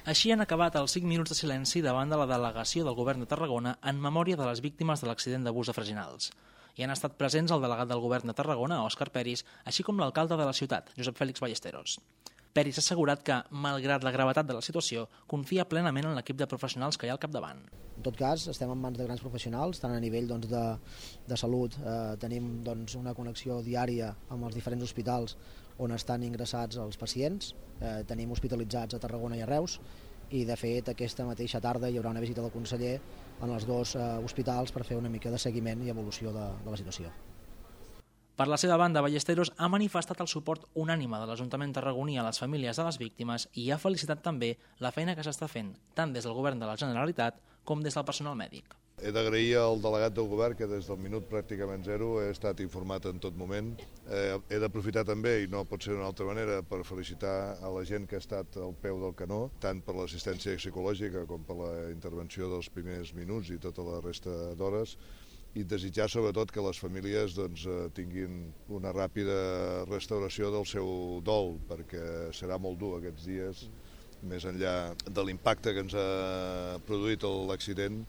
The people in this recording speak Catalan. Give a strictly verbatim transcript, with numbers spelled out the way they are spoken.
Així han acabat els cinc minuts de silenci davant de la delegació del Govern de Tarragona en memòria de les víctimes de l'accident d'abús de Freginals. Hi han estat presents el delegat del Govern de Tarragona, Òscar Peris, així com l'alcalde de la ciutat, Josep Fèlix Ballesteros. Peris ha assegurat que, malgrat la gravetat de la situació, confia plenament en l'equip de professionals que hi ha al capdavant. En tot cas, estem en mans de grans professionals, tant a nivell doncs, de, de salut, eh, tenim doncs, una connexió diària amb els diferents hospitals on estan ingressats els pacients, eh, tenim hospitalitzats a Tarragona i a Reus, i de fet aquesta mateixa tarda hi haurà una visita del conseller en els dos eh, hospitals per fer una mica de seguiment i evolució de, de la situació. Per la seva banda, Ballesteros ha manifestat el suport unànime de l'Ajuntament tarragoní a les famílies de les víctimes i ha felicitat també la feina que s'està fent, tant des del Govern de la Generalitat com des del personal mèdic. He d'agrair al delegat del govern que des del minut pràcticament zero he estat informat en tot moment. Eh, he d'aprofitar també, i no pot ser d'una altra manera, per felicitar a la gent que ha estat al peu del canó, tant per l'assistència psicològica com per la intervenció dels primers minuts i tota la resta d'hores, i desitjar sobretot que les famílies doncs, tinguin una ràpida restauració del seu dol, perquè serà molt dur aquests dies, més enllà de l'impacte que ens ha produït l'accident.